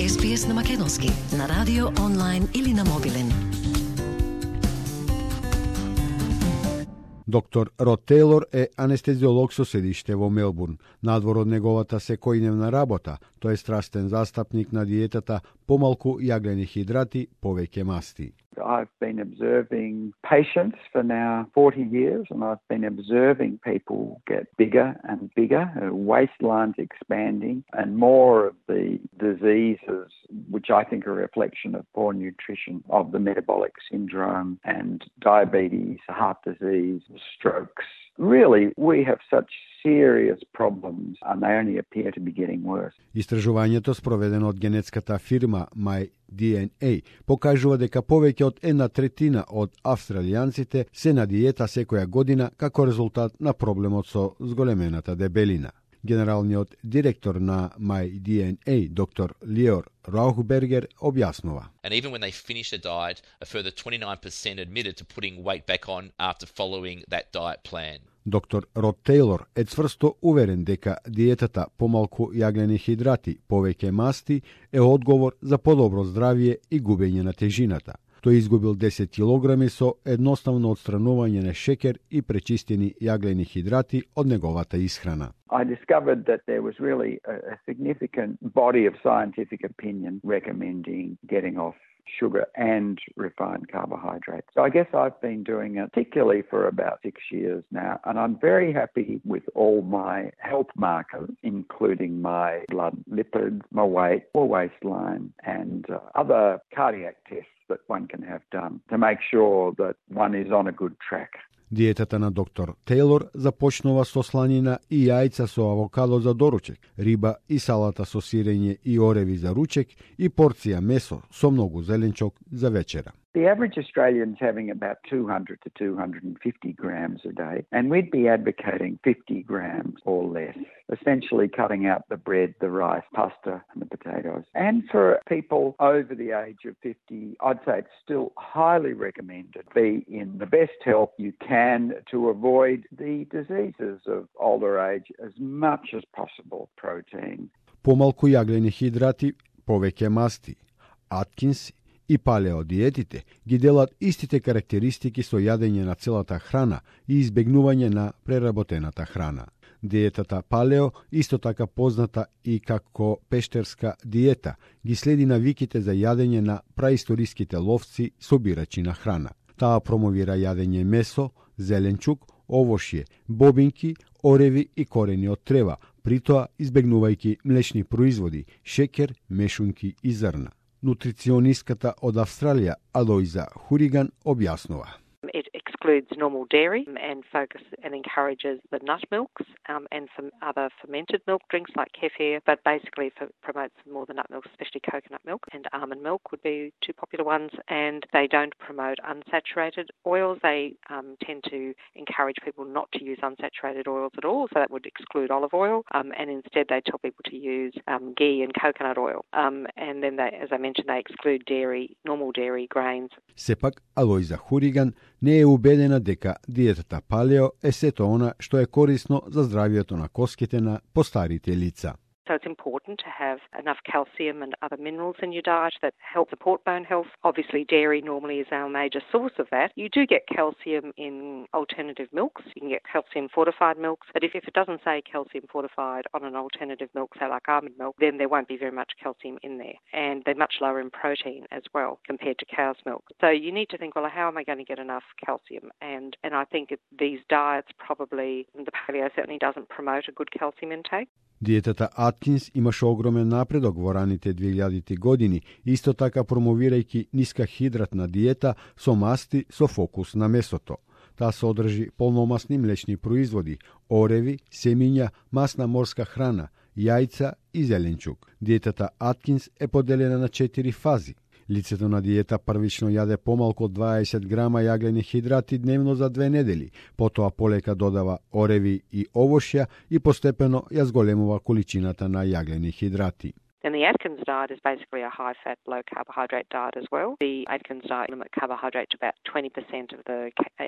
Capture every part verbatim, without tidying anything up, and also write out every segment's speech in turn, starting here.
Ес Би Ес на македонски, на радио, онлайн или на мобилен. Доктор Род Тейлор е анестезиолог со седиште во Мелбурн. Надвор од неговата секојдневна работа, тој е страстен застапник на диетата помалку јаглени хидрати, повеќе масти. I've been observing patients for now forty years, and I've been observing people get bigger and bigger, uh, waistlines expanding, and more of the diseases, which I think are a reflection of poor nutrition, of the metabolic syndrome and diabetes, heart disease, strokes. Really, we have such serious problems, and they only appear to be getting worse. Истражувањето спроведено од генетската фирма My Ди Ен Ей покажува дека повеќе од една третина од австралијанците се на диета секоја година како резултат на проблемот со зголемената дебелина. Генералниот директор на My Ди Ен Ей, доктор Лиор Раухбергер, објаснува. And even when they finish a diet, a further twenty-nine percent admitted to putting weight back on after following that diet plan. Доктор Род Тейлор е цврсто уверен дека диетата помалку јаглени хидрати, повеќе масти е одговор за подобро здравје и губење на тежината. Тој изгубил десет килограми со едноставно отстранување на шекер и пречистени јаглени хидрати од неговата исхрана. I discovered that there was really a, a significant body of scientific opinion recommending getting off sugar and refined carbohydrates. So I guess I've been doing it particularly for about six years now, and I'm very happy with all my health markers, including my blood lipids, my weight, my waistline, and uh, other cardiac tests that one can have done to make sure that one is on a good track. Диетата на доктор Тейлор започнува со сланина и јајца со авокадо за доручек, риба и салата со сирење и ореви за ручек и порција месо со многу зеленчок за вечера. The average Australian's having about two hundred to two hundred fifty grams a day, and we'd be advocating fifty grams or less, essentially cutting out the bread, the rice, pasta, and the potatoes. And for people over the age of fifty, I'd say it's still highly recommended to be in the best health you can to avoid the diseases of older age as much as possible. Protein. Помалку јаглени хидрати, повеќе масти. Аткинс и палеодиетите ги делат истите карактеристики со јадење на целата храна и избегнување на преработената храна. Диетата палео, исто така позната и како пештерска диета, ги следи навиките за јадење на праисториските ловци собирачи на храна. Таа промовира јадење месо, зеленчук, овошје, бобинки, ореви и корени од трева, притоа избегнувајќи млечни производи, шекер, мешунки и зрна. Нутриционистката од Австралија Алоиза Хуриган објаснува. It excludes normal dairy and focus and encourages the nut milks um, and some other fermented milk drinks like kefir, but basically for, promotes more the nut milks, especially coconut milk, and almond milk would be two popular ones. And they don't promote unsaturated oils. They um, tend to encourage people not to use unsaturated oils at all, so that would exclude olive oil. Um, and instead they tell people to use um, ghee and coconut oil. Um, and then, they, as I mentioned, they exclude dairy, normal dairy, grains. Сепак, Алоиза Хуриган не е убедена дека диетата палео е сето она што е корисно за здравјето на коските на постарите лица. So it's important to have enough calcium and other minerals in your diet that help support bone health. Obviously, dairy normally is our major source of that. You do get calcium in alternative milks. You can get calcium fortified milks. But if, if it doesn't say calcium fortified on an alternative milk, say like almond milk, then there won't be very much calcium in there. And they're much lower in protein as well compared to cow's milk. So you need to think, well, how am I going to get enough calcium? And, and I think these diets probably, the paleo certainly doesn't promote a good calcium intake. Диетата Аткинс имаше огромен напредок во раните две години, исто така промовирајќи ниска хидратна диета со масти со фокус на месото. Таа содржи полномасни млечни производи, ореви, семиња, масна морска храна, јајца и зеленчук. Диетата Аткинс е поделена на четири фази. Лицето на диета првично јаде помалку од дваесет грама јаглени хидрати дневно за две недели, потоа полека додава ореви и овошја и постепено ја зголемува количината на јаглени хидрати. And the Atkins diet is basically a high-fat, low-carbohydrate diet as well. The Atkins diet limits carbohydrate to about twenty percent of the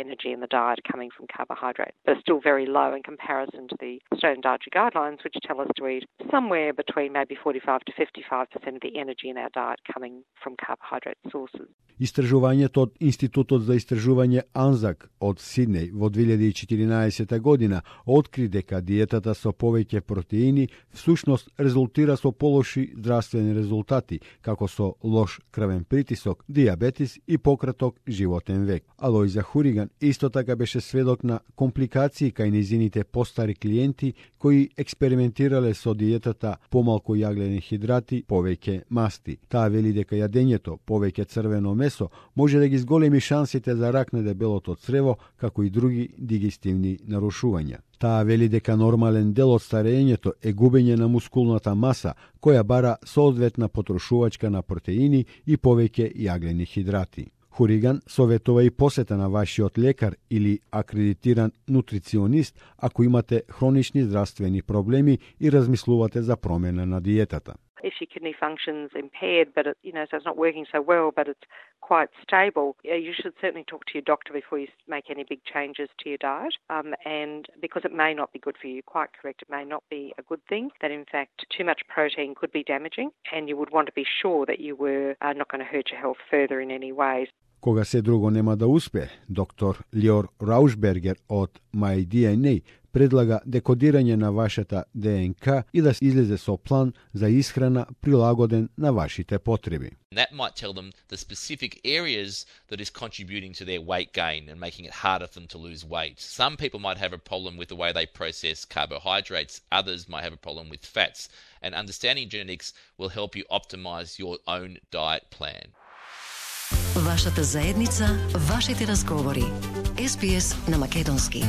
energy in the diet coming from carbohydrate, but it's still very low in comparison to the Australian Dietary Guidelines, which tell us to eat somewhere between maybe forty-five to fifty-five percent of the energy in our diet coming from carbohydrate sources. Истражувањето од Институтот за истражување Анзак од Сиднеј во две илјади и четиринаесета година откри дека диетата со повеќе протеини всушност резултира со полоши здравствени резултати, како со лош крвен притисок, дијабетис и пократок животен век. Алојза Хуриган исто така беше сведок на компликации кај низините постари клиенти кои експериментирале со диетата помалку јаглени хидрати, повеќе масти. Таа вели дека јадењето повеќе црвено месо може да ги зголеми шансите за рак на дебелото црево, како и други дигестивни нарушувања. Таа вели дека нормален дел од старењето е губење на мускулната маса, која бара соодветна потрошувачка на протеини и повеќе јаглени хидрати. Хуриган советува и посета на вашиот лекар или акредитиран нутриционист ако имате хронични здравствени проблеми и размислувате за промена на диетата. If your kidney function's impaired, but it, you know, so it's not working so well, but it's quite stable, you should certainly talk to your doctor before you make any big changes to your diet. Um, and because it may not be good for you, quite correct, it may not be a good thing. That in fact, too much protein could be damaging, and you would want to be sure that you were uh, not going to hurt your health further in any ways. Кога се друго нема да успе, доктор Лиор Раушбергер од My ди ен ей предлага декодирање на вашата ДНК и да излезе со план за исхрана прилагоден на вашите потреби. That might tell them the specific areas that is contributing to their weight gain and making it harder for them to lose weight. Some people might have a problem with the way they process carbohydrates, others might have a problem with fats, and understanding genetics will help you optimize your own diet plan. Вашата заедница, вашите разговори. Ес Би Ес на македонски.